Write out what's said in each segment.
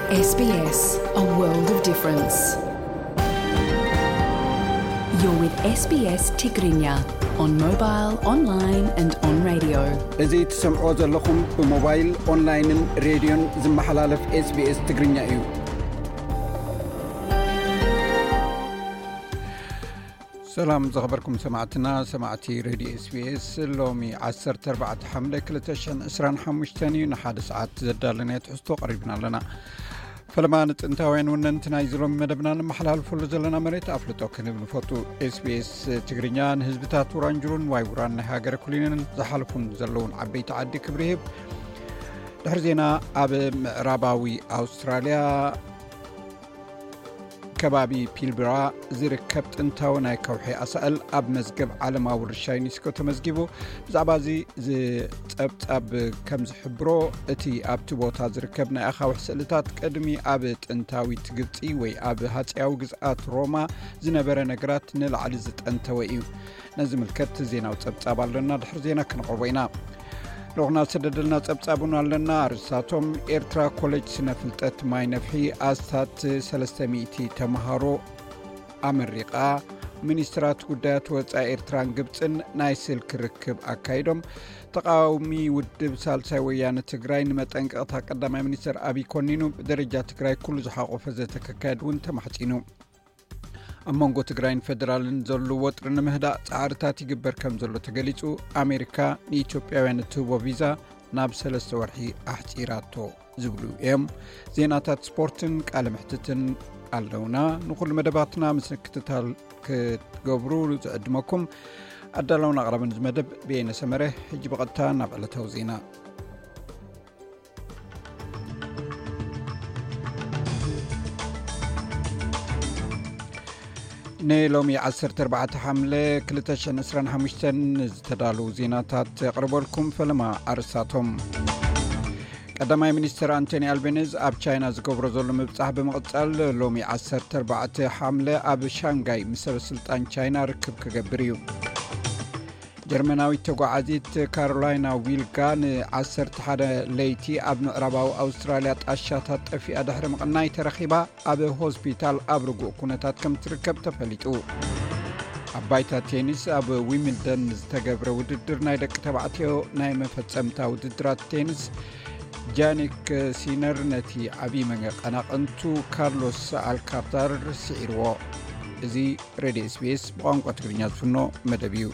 S B S, a world of difference. You're with S B S Tigrinya on mobile, online and on radio. እዚ ትሰምዕዎ ዘለኹም ብሞባይል፣ ኦንላይንን ሬድዮን ዝመሓላለፍ SBS ትግርኛ እዩ። ሰላም ዝኸበርኩም ሰማዕትና፣ ሰማዕቲ ሬድዮ SBS። ሎሚ ዓሰርተ ኣርባዕተ ሓምለ ክልተ ሽሕን ዕስራን ሓሙሽተን እዩ። ንሓደ ሰዓት ዘዳለናዮ ትሕዝቶ ቀሪብና ኣለና። ፈለማ ንጥንታውያን ወነንቲ ናይዚ ሎሚ መደብና ነመሓላልፈሉ ዘለና መሬት ኣፍልጦ ክንህብ ንፈቱ። SBS ትግርኛ ንህዝብታት ውራንጁሩን ዋይ ውራን ናይ ሃገረ ኩሊንን ዝሓልፉን ዘለውን ዓበይቲ ዓዲ ክብሪ ይህብ። ድሕሪ ዜና፣ ኣብ ምዕራባዊ ኣውስትራልያ ከባቢ ፒልብራ ዝርከብ ጥንታዊ ናይ ከውሒ ኣሳእል ኣብ መዝገብ ዓለማዊ ውርሻ ዩኔስኮ ተመዝጊቡ። ብዛዕባ እዚ ዝጸብጻብ ከም ዝሕብሮ፣ እቲ ኣብቲ ቦታ ዝርከብ ናይ ኣኻውሕ ስእልታት ቅድሚ ኣብ ጥንታዊት ግብጺ ወይ ኣብ ሃጸያዊ ግዝኣት ሮማ ዝነበረ ነገራት ንላዕሊ ዝጠንተወ እዩ። ነዚ ዝምልከት ዜናዊ ጸብጻብ ኣለና፣ ድሕሪ ዜና ክንቕርቦ ኢና። ልኡኽና ዝሰደደልና ጸብጻብ እውን ኣለና። ኣርእስታቶም፣ ኤርትራ ኮሌጅ ስነ ፍልጠት ማይ ነፍሒ ኣስታት ሰለስተ ሚእቲ ተምሃሮ ኣመሪቓ። ሚኒስትራት ጉዳያት ወጻኢ ኤርትራን ግብጽን ናይ ስልኪ ርክብ ኣካይዶም። ተቃዋሚ ውድብ ሳልሳይ ወያነ ትግራይ ንመጠንቀቕታ ቀዳማይ ሚኒስትር ኣብይ ኮኒኑ። ብደረጃ ትግራይ ኩሉ ዝሓቆፈ ዘተ ክካየድ እውን ተማሕጺኑ። ኣብ መንጎ ትግራይን ፌደራልን ዘሎ ወጥሪ ንምህዳእ ጻዕርታት ይግበር ከም ዘሎ ተገሊጹ። ኣሜሪካ ንኢትዮጵያውያን እትህቦ ቪዛ ናብ ሰለስተ ወርሒ ኣሕጺራቶ ዝብሉ እዮም። ዜናታት ስፖርትን ቃለ መሕትትን ኣለውና። ንኹሉ መደባትና ምስ ምክትታል ክትገብሩ ዝዕድመኩም ኣዳላውን ኣቕራብን እዚ መደብ ብየነ ሰመረ። ሕጂ ብቐጥታ ናብ ዕለታዊ ዜና። ንሎሚ ዓሰርተ ኣርባዕተ ሓምለ ክልተ ሽሕን ዕስራን ሓሙሽተን ዝተዳለዉ ዜናታት የቕርበልኩም። ፈለማ ኣርእስታቶም። ቀዳማይ ሚኒስትር ኣንቶኒ ኣልቤኒዝ ኣብ ቻይና ዝገብሮ ዘሎ ምብጻሕ ብምቕጻል፣ ሎሚ ዓሰርተ ኣርባዕተ ሓምለ ኣብ ሻንጋይ ምስ ሰበ ስልጣን ቻይና ርክብ ክገብር እዩ። ጀርመናዊት ተጓዓዚት ካሮላይና ዊልጋ ን ዓሰርተ ሓደ ለይቲ ኣብ ምዕራባዊ ኣውስትራልያ ጣሻታት ጠፊኣ ድሕሪ ምቕናይ ተረኺባ ኣብ ሆስፒታል ኣብ ርጉእ ኩነታት ከም ትርከብ ተፈሊጡ። ኣብ ባይታ ቴኒስ ኣብ ዊምልደን ዝተገብረ ውድድር ናይ ደቂ ተባዕትዮ ናይ መፈጸምታ ውድድራት ቴኒስ ጃኒክ ሲነር ነቲ ዓብዪ መቀናቕንቱ ካርሎስ ኣልካታር ስዒርዎ። እዚ ሬድዮ SBS ብቋንቋ ትግርኛ ዝፍኖ መደብ እዩ።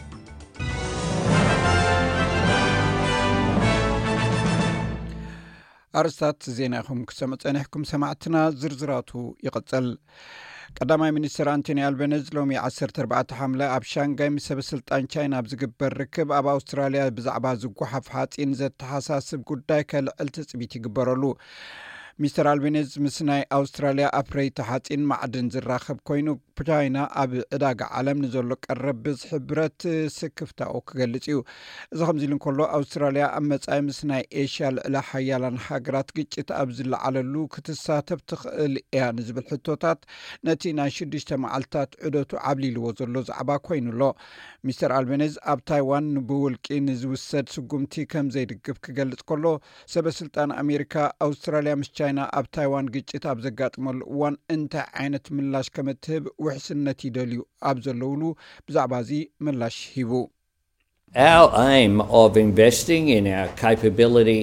ኣርእስታት ዜና ኢኹም ክሰምዑ ጸኒሕኩም ሰማዕትና፣ ዝርዝራቱ ይቕጽል። ቀዳማይ ሚኒስትር ኣንቶኒ ኣልበነዝ ሎሚ ዓሰርተ ኣርባዕተ ሓምለ ኣብ ሻንጋይ ምስ ሰበ ስልጣን ቻይና ኣብ ዝግበር ርክብ፣ ኣብ ኣውስትራልያ ብዛዕባ ዝጓሓፍ ሓጺን ዘተሓሳስብ ጉዳይ ከልዕል ትጽቢት ይግበረሉ። ሚስተር ኣልቤኒዝ ምስ ናይ ኣውስትራልያ ኣፍረይቲ ሓጺን ማዕድን ዝራኸብ ኮይኑ፣ ቻይና ኣብ ዕዳጋ ዓለም ንዘሎ ቀረብ ብዝሒ ብረት ስክፍታኡ ክገልጽ እዩ። እዚ ከምዚ ኢሉ እንከሎ፣ ኣውስትራልያ ኣብ መጻኢ ምስ ናይ ኤሽያ ልዕለ ሓያላን ሃገራት ግጭት ኣብ ዝለዓለሉ ክትሳተፍ ትኽእል እያ ንዝብል ሕቶታት፣ ነቲ ናይ ሽዱሽተ መዓልታት ዑደቱ ዓብሊልዎ ዘሎ ዛዕባ ኮይኑ ኣሎ። ሚስተር ኣልቤኒዝ ኣብ ታይዋን ብውልቂ ንዝውሰድ ስጉምቲ ከም ዘይድግፍ ክገልጽ ከሎ፣ ሰበ ስልጣን ኣሜሪካ፣ ኣውስትራልያ ምስ ቻይና ኣብ ታይዋን ግጭት ኣብ ዘጋጥመሉ እዋን እንታይ ዓይነት ምላሽ ከም እትህብ ውሕስነት ይደልዩ ኣብ ዘለውሉ፣ ብዛዕባ እዚ ምላሽ ሂቡ። Our aim of investing in our capability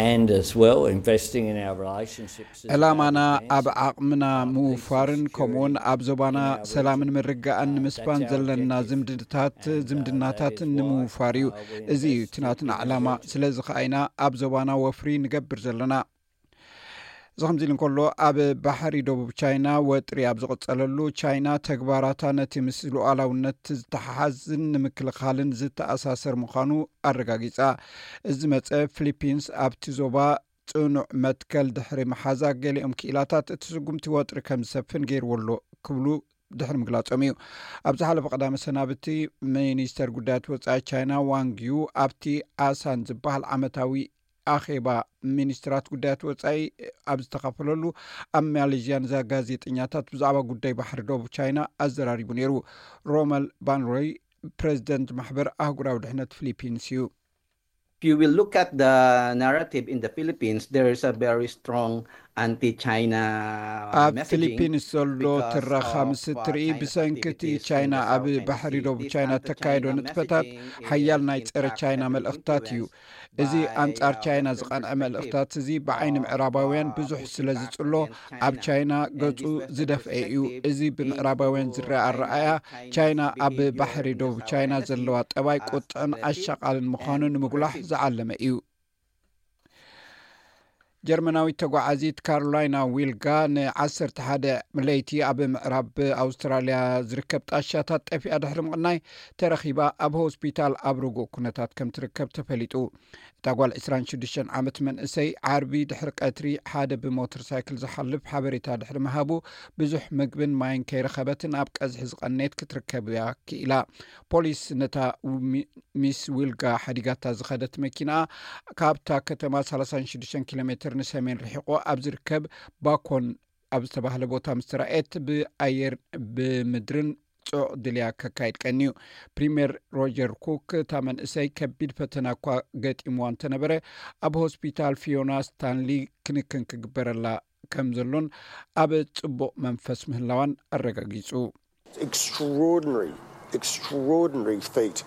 and as well investing in our relationships is ዕላማና ኣብ ዓቕምና ምውፋርን ከምኡውን ኣብ ዞባና ሰላምን ምርግጋእን ንምስፋን ዘለና ዝምድናታት ዝምድናታትን ንምውፋር እዩ። እዚ እዩ እቲ ናትና ዕላማ። ስለዚ ከኣ ኢና ኣብ ዞባና ወፍሪ ንገብር ዘለና። እዚ ከምዚ ኢሉ እንከሎ፣ ኣብ ባሕሪ ደቡብ ቻይና ወጥሪ ኣብ ዝቕጸለሉ፣ ቻይና ተግባራታ ነቲ ምስ ሉዓላውነት ዝተሓሓዝን ንምክልኻልን ዝተኣሳሰር ምዃኑ ኣረጋጊጻ። እዚ ዝመጸ፣ ፊሊፒንስ ኣብቲ ዞባ ጽኑዕ መትከል ድሕሪ ምሓዛ፣ ገሊኦም ክኢላታት እቲ ስጉምቲ ወጥሪ ከም ዝሰፍን ገይርዎ ኣሎ ክብሉ ድሕሪ ምግላጾም እዩ። ኣብ ዝሓለፈ ቀዳመ ሰናብቲ፣ ሚኒስተር ጉዳያት ወጻኢ ቻይና ዋንግ ዩ ኣብቲ ኣሳን ዝበሃል ዓመታዊ ኣኼባ ሚኒስትራት ጉዳያት ወጻኢ ኣብ ዝተኻፈለሉ፣ ኣብ ማሌዥያ ንዛ ጋዜጠኛታት ብዛዕባ ጉዳይ ባሕሪ ደቡብ ቻይና ኣዘራሪቡ ነይሩ። ሮመል ባንሮይ ፕሬዚደንት ማሕበር ኣህጉራዊ ድሕነት ፊሊፒንስ እዩ። you will look at the narrative in the Philippines, there is a very strong anti-China ኣብ messaging. ፊሊፒንስ ዘሎ because ትረኻ of, ምስ uh, እትርኢ China's ብሰንክቲ activities in ቻይና the ኣብ South China ባሕሪ Sea. ደቡብ This ቻይና ተካይዶ anti-China ንጥፈታት messaging ሓያል is, ናይ in ጸረ fact, ቻይና heavily መልእኽታት እዩ። influenced እዚ by, ኣንጻር uh, ቻይና Western ዝቐንዐ perspective መልእኽታት እዚ ብዓይኒ of, ምዕራባውያን uh, ብዙሕ Putin ስለ Xi ዝጽሎ against ኣብ China. ቻይና And ገጹ this Western ዝደፍአ እዩ። perspective እዚ aims ብምዕራባውያን to ዝረአ highlight ኣረኣያ China's ቻይና ኣብ behavior ባሕሪ in the ደቡብ South ቻይና China Sea ዘለዋ ጠባይ as ቁጥዕን the ኣሻቓልን ምዃኑ and ንምጉላሕ aggressive. ዝዓለመ እዩ። ጀርመናዊት ተጓዓዚት ካሮላይና ዊልጋ ን ዓሰርተ ሓደ ለይቲ ኣብ ምዕራብ ኣውስትራልያ ዝርከብ ጣሻታት ጠፊኣ ድሕሪ ምቕናይ ተረኺባ ኣብ ሆስፒታል ኣብ ርጉእ ኩነታት ከም ትርከብ ተፈሊጡ። እታ ጓል ዕስራን ሽዱሽተን ዓመት መንእሰይ ዓርቢ ድሕሪ ቀትሪ ሓደ ብሞተር ሳይክል ዝሓልፍ ሓበሬታ ድሕሪ ምሃቡ ብዙሕ ምግብን ማይን ከይረኸበትን ኣብ ቀዝሒ ዝቐነየት ክትርከብ እያ ክኢላ። ፖሊስ ነታ ሚ- ሚስ ዊልጋ ሓዲጋታ ዝኸደት መኪና ካብታ ከተማ ሰላሳ ሽዱሽተ ኪሎ ሜትር ንሰሜን ርሒቑ ኣብ ዝርከብ ባኮን ኣብ ዝተባህለ ቦታ ምስ ተራእየት ብኣየር ብምድርን ጽዑቕ ድልያ ከካይድ ቀንዩ። ፕሪምየር ሮጀር ኩክ እታ መንእሰይ ከቢድ ፈተና እኳ ገጢምዋ እንተነበረ ኣብ ሆስፒታል ፊዮና ስታንሊ ክንክን ክግበረላ ከም ዘሎን ኣብ ጽቡቕ መንፈስ ምህላዋን ኣረጋጊጹ። Extraordinary, extraordinary feat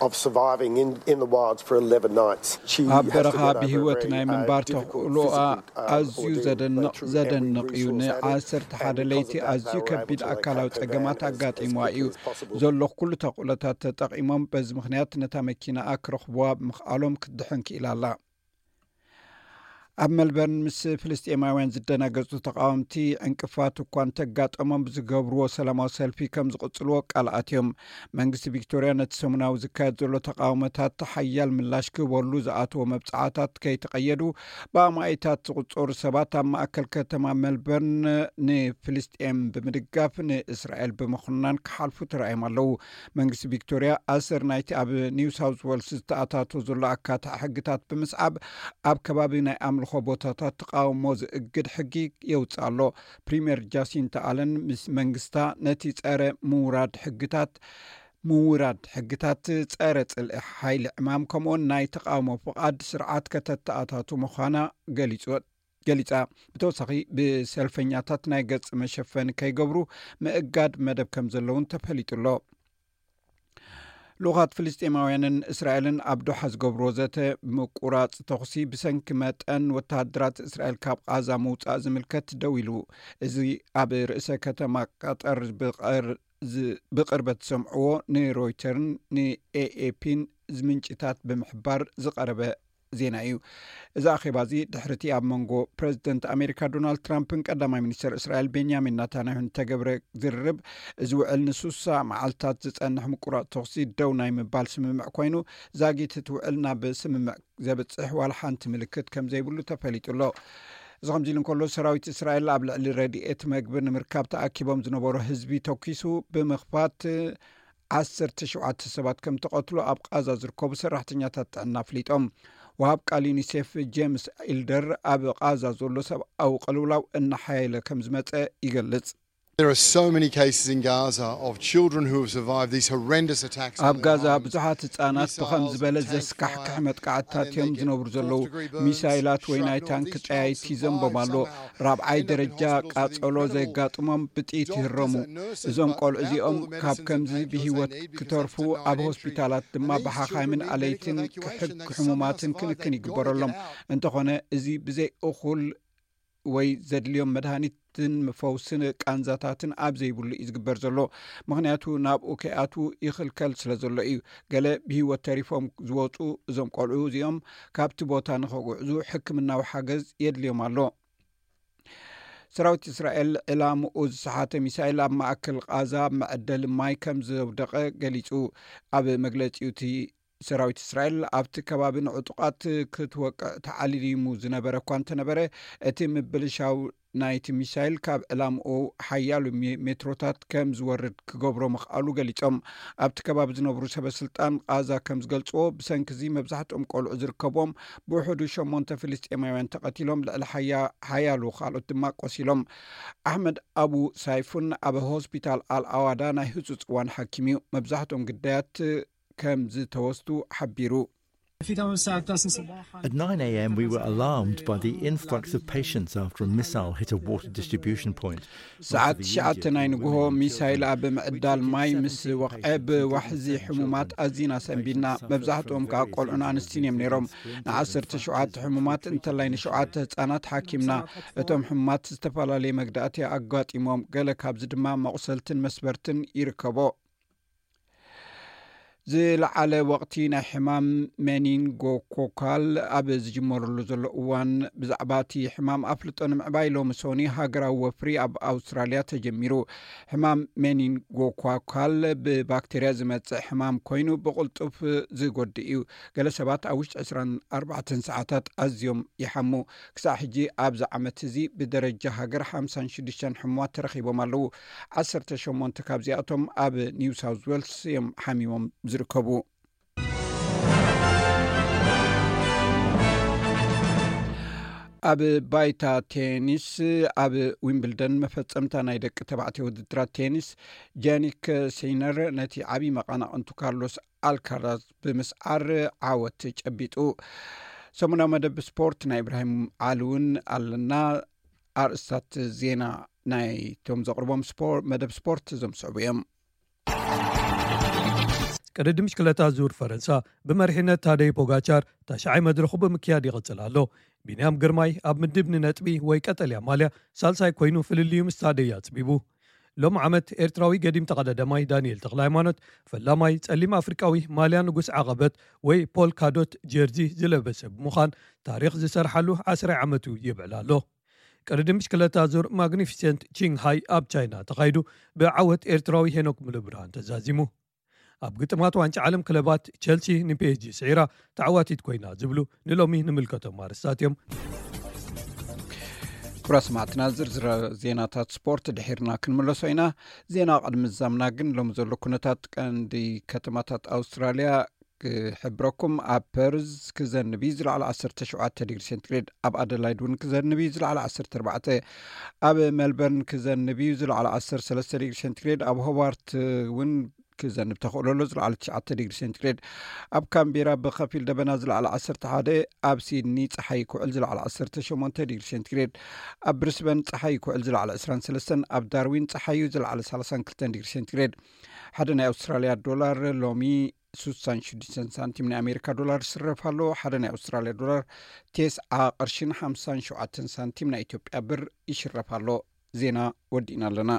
of surviving in, in the wilds for eleven nights. She ኣብ has to በረኻ get over a ብህይወት very, ናይ uh, ምንባር difficult ተኽእሎኣ physical, uh, ኣዝዩ ordeal, ዘደንቕ but through every ዘደንቕ እዩ። resource added, ንዓሰርተ ሓደ and because ለይቲ of that, ኣዝዩ they were able ከቢድ to ኣካላዊ evacuate ጸገማት her van ኣጋጢምዋ as እዩ። quickly as possible. ዘሎ ኩሉ ተኽእሎታት ተጠቒሞም በዚ ምኽንያት ነታ መኪናኣ ክረኽብዋ ብምኽኣሎም ክትድሕን ክኢላ ኣላ። ኣብ መልበርን ምስ ፍልስጤማውያን ዝደናገጹ ተቃወምቲ ዕንቅፋት እኳ እንተጋጠሞም ብዝገብርዎ ሰላማዊ ሰልፊ ከም ዝቕጽልዎ ቃል ኣትዮም። መንግስቲ ቪክቶርያ ነቲ ሰሙናዊ ዝካየድ ዘሎ ተቃውሞታት ሓያል ምላሽ ክህበሉ ዝኣትዎ መብጽዓታት ከይተቐየዱ ብኣማኢታት ዝቑጸሩ ሰባት ኣብ ማእከል ከተማ መልበርን ንፍልስጤም ብምድጋፍ ንእስራኤል ብምኹናን ክሓልፉ ተራእዮም ኣለዉ። መንግስቲ ቪክቶርያ ኣሰር ናይቲ ኣብ ኒው ሳውዝ ዌልስ ዝተኣታቶ ዘሎ ኣካታዒ ሕግታት ብምስዓብ ኣብ ከባቢ ናይ ኣምልኾ ቦታታት ተቃውሞ ዝእግድ ሕጊ የውፅእ ኣሎ። ፕሪምየር ጃሲንታ ኣለን ምስ መንግስታ ነቲ ጸረ ምውራድ ሕግታት ምውራድ ሕግታት ጸረ ጽልኢ ሓይሊ ዕማም ከምኡውን ናይ ተቃውሞ ፍቓድ ስርዓት ከተተኣታቱ ምዃና ገሊጹ ገሊጻ። ብተወሳኺ ብሰልፈኛታት ናይ ገጽ መሸፈኒ ከይገብሩ ምእጋድ መደብ ከም ዘለውን ተፈሊጡ ኣሎ። ልኡኻት ፍልስጤማውያንን እስራኤልን ኣብ ዶሓ ዝገብርዎ ዘተ ምቁራጽ ተኹሲ ብሰንኪ መጠን ወተሃደራት እስራኤል ካብ ቓዛ ምውጻእ ዝምልከት ደው ኢሉ። እዚ ኣብ ርእሰ ከተማ ቀጠር ብቐር- ዝ- ብቕርበት ዝሰምዕዎ ንሮይተርን ንኤኤፒን ምንጭታት ብምሕባር ዝቐረበ ዜና እዩ። እዚ ኣኼባ እዚ ድሕርቲ ኣብ መንጎ ፕረዚደንት ኣሜሪካ ዶናልድ ትራምፕን ቀዳማይ ሚኒስተር እስራኤል ቤንያሚን ናታንያሁን ዝተገብረ ዝርርብ እዚ ውዕል ንሱሳ መዓልታት ዝጸንሕ ምቁራጽ ተኹሲ ደው ናይ ምባል ስምምዕ ኮይኑ ዛጊት እቲ ውዕል ናብ ስምምዕ ዘብጽሕ ዋላ ሓንቲ ምልክት ከም ዘይብሉ ተፈሊጡ ኣሎ። እዚ ከምዚ ኢሉ እንከሎ ሰራዊት እስራኤል ኣብ ልዕሊ ረድኤት መግቢ ንምርካብ ተኣኪቦም ዝነበሩ ህዝቢ ተኪሱ ብምኽፋት ዓሰርተ ሸውዓተ ሰባት ከም ተቐትሉ ኣብ ቓዛ ዝርከቡ ሰራሕተኛታት ጥዕና ኣፍሊጦም። ወሃብ ቃል ዩኒሴፍ ጄምስ ኢልደር ኣብ ቓዛ ዘሎ ሰብኣዊ ቅልውላው እናሓየለ ከም ዝመጸ ይገልጽ። There are so many cases in Gaza of children who have survived these horrendous attacks. ኣብ ጋዛ ብዙሓት ህጻናት ብኸም ዝበለ ዘስካሕክሕ መጥቃዕትታት እዮም ዝነብሩ ዘለዉ። ሚሳይላት ወይ ናይ ታንክ ጠያይቲ ይዘንቦም ኣሎ። ራብዓይ ደረጃ ቃጸሎ ዘጋጥሞም ብጥይት ይህረሙ። እዞም ቆልዑ እዚኦም ካብ ከምዚ ብህይወት ክተርፉ ኣብ ሆስፒታላት ድማ ብሓኻይምን ኣለይትን ክሕግ ሕሙማትን ክንክን ይግበረሎም። እንተኾነ እዚ ብዘይ እኹል ወይ ዘድልዮም መድሃኒትን ፈውስን ቃንዛታትን ኣብ ዘይብሉ እዩ ዝግበር ዘሎ። ምኽንያቱ ናብኡ ከይኣትዉ ይኽልከል ስለ ዘሎ እዩ። ገለ ብህይወት ተሪፎም ዝወፁ እዞም ቆልዑ እዚኦም ካብቲ ቦታ ንኸጉዕዙ ሕክምናዊ ሓገዝ የድልዮም ኣሎ። ሰራዊት እስራኤል ዕላምኡ ዝሰሓተ ሚሳይል ኣብ ማእከል ቓዛ መዐደሊ ማይ ከም ዘውደቐ ገሊጹ። ኣብ መግለጺኡ እቲ ሰራዊት እስራኤል ኣብቲ ከባቢ ንዕጡቓት ክትወቅዕ ተዓሊሙ ዝነበረ እኳ እንተነበረ እቲ ምብልሻው ናይቲ ሚሳይል ካብ ዕላምኡ ሓያሉ ሜ- ሜትሮታት ከም ዝወርድ ክገብሮ ምኽኣሉ ገሊጾም። ኣብቲ ከባቢ ዝነብሩ ሰበ ስልጣን ቓዛ ከም ዝገልጽዎ ብሰንኪ እዚ መብዛሕትኦም ቆልዑ ዝርከብዎም ብውሕዱ ሸሞንተ ፍልስጤማውያን ተቐቲሎም ልዕሊ ሓያ- ሓያሉ ካልኦት ድማ ቆሲሎም። ኣሕመድ ኣቡ ሳይፉን ኣብ ሆስፒታል ኣልኣዋዳ ናይ ህጹጽ እዋን ሓኪም እዩ። መብዛሕትኦም ግዳያት ከም ዝተወስዱ ሓቢሩ። At nine a.m., we were alarmed by the influx of patients after a missile hit a water distribution point. ሰዓት ትሽዓተ ናይ ንግሆ ሚሳይል ኣብ ምዕዳል ማይ ምስ ወቕዐ፣ ብዋሕዚ ሕሙማት ኣዚና ሰንቢድና። መብዛሕትኦም ከዓ ቆልዑን ኣንስትን እዮም ነይሮም። ንዓሰርተ ሸውዓተ ሕሙማት እንተላይ ንሸውዓተ ህፃናት ሓኪምና። እቶም ሕሙማት ዝተፈላለየ መግዳእቲ ኣጋጢሞም፣ ገለ ካብዚ ድማ መቑሰልትን መስበርትን ይርከቦ። ዝለዓለ ወቕቲ ናይ ሕማም ሜኒንጎኮካል ኣብ ዝጅመረሉ ዘሎ እዋን፣ ብዛዕባ እቲ ሕማም ኣፍልጦ ንምዕባይ ሎሚ ሶኒ ሃገራዊ ወፍሪ ኣብ ኣውስትራልያ ተጀሚሩ። ሕማም ሜኒንጎኮካል ብባክቴርያ ዝመጽእ ሕማም ኮይኑ፣ ብቕልጡፍ ዝጎድእ እዩ። ገለ ሰባት ኣብ ውሽጢ ዕስራን ኣርባዕተን ሰዓታት ኣዝዮም ይሓሙ። ክሳዕ ሕጂ ኣብዚ ዓመት እዚ ብደረጃ ሃገር ሓምሳን ሽዱሽተን ሕሙማት ተረኺቦም ኣለዉ። ዓሰርተ ሸሞንተ ካብዚኣቶም ኣብ ኒው ሳውዝ ዌልስ እዮም ሓሚሞም ዝርከቡ። ኣብ ባይታ ቴኒስ፣ ኣብ ዊምብልደን መፈጸምታ ናይ ደቂ ተባዕትዮ ውድድራት ቴኒስ፣ ጃኒክ ሲነር ነቲ ዓብዪ መቐናቕንቱ ካርሎስ ኣልካራዝ ብምስዓር ዓወት ጨቢጡ። ሰሙናዊ መደብ ስፖርት ናይ ኢብራሂም ዓሊ እውን ኣለና። ኣርእስታት ዜና ናይቶም ዘቕርቦም ስፖር-፣ መደብ ስፖርት እዞም ዝስዕቡ እዮም። ቅድድም ብሽክለታ ዙር ፈረንሳ ብመሪሕነት ታደይ ፖጋቻር ታሽዓይ መድረኹ ብምክያድ ይቕጽል ኣሎ። ቢንያም ግርማይ ኣብ ምድብ ንነጥቢ ወይ ቀጠልያ ማልያ ሳልሳይ ኮይኑ፣ ፍልልዩ ምስ ታደይ ኣጽቢቡ። ሎም ዓመት ኤርትራዊ ገዲም ተቐዳዳማይ ዳንኤል ተኽለ ሃይማኖት፣ ፈላማይ ጸሊም ኣፍሪቃዊ ማልያ ንጉስ ዓቐበት ወይ ፖል ካዶት ጀርዚ ዝለበሰ ብምዃን፣ ታሪኽ ዝሰርሓሉ ዓስራይ ዓመቱ የብዕል ኣሎ። ቅድድም ብሽክለታ ዙር ማግኒፊሰንት ቺንግሃይ ኣብ ቻይና ተኻይዱ፣ ብዓወት ኤርትራዊ ሄኖክ ሙሉብርሃን ተዛዚሙ። ኣብ ግጥማት ዋንጫ ዓለም ክለባት፣ ቸልሲ ንፒኤስጂ ስዒራ ተዓዋቲት ኮይና ዝብሉ ንሎሚ ንምልከቶም ኣርእስታት እዮም። ክቡራት ሰማዕትና፣ ዝርዝር ዜናታት ስፖርት ድሒርና ክንምለሶ ኢና። ዜና ቅድሚ ምዛምና ግን፣ ሎም ዘሎ ኩነታት ቀንዲ ከተማታት ኣውስትራልያ ክሕብረኩም። ኣብ ፐርዝ ክዘንብ እዩ፣ ዝለዓለ ዓሰርተ ሸውዓተ ዲግሪ ሴንቲግሬድ። ኣብ ኣደላይድ እውን ክዘንብ እዩ፣ ዝለዓለ ዓሰርተ ኣርባዕተ። ኣብ ሜልበርን ክዘንብ እዩ፣ ዝለዓለ ዓሰርተ ሰለስተ ዲግሪ ሴንቲግሬድ። ኣብ ሆባርት እውን ክዘንብ ተኽእሎ ኣሎ፣ ዝለዓለ ትሽዓተ ዲግሪ ሴንቲግሬድ። ኣብ ካምቤራ ብኸፊል ደበና፣ ዝለዓለ ዓሰርተ ሓደ። ኣብ ሲድኒ ጸሓይ ክውዕል፣ ዝለዓለ ዓሰርተ ሸሞንተ ዲግሪ ሴንቲግሬድ። ኣብ ብሪስበን ጸሓይ ክውዕል፣ ዝለዓለ ዕስራን ሰለስተን። ኣብ ዳርዊን ጸሓዩ፣ ዝለዓለ ሰላሳን ክልተን ዲግሪ ሴንቲግሬድ። ሓደ ናይ ኣውስትራልያ ዶላር ሎሚ ሱሳን ሽዱሽተን ሳንቲም ናይ ኣሜሪካ ዶላር ይስረፍ ኣሎ። ሓደ ናይ ኣውስትራልያ ዶላር ቴስዓ ቅርሽን ሓምሳን ሸውዓተን ሳንቲም ናይ ኢትዮጵያ ብር ይሽረፍ ኣሎ። ዜና ወዲእና ኣለና።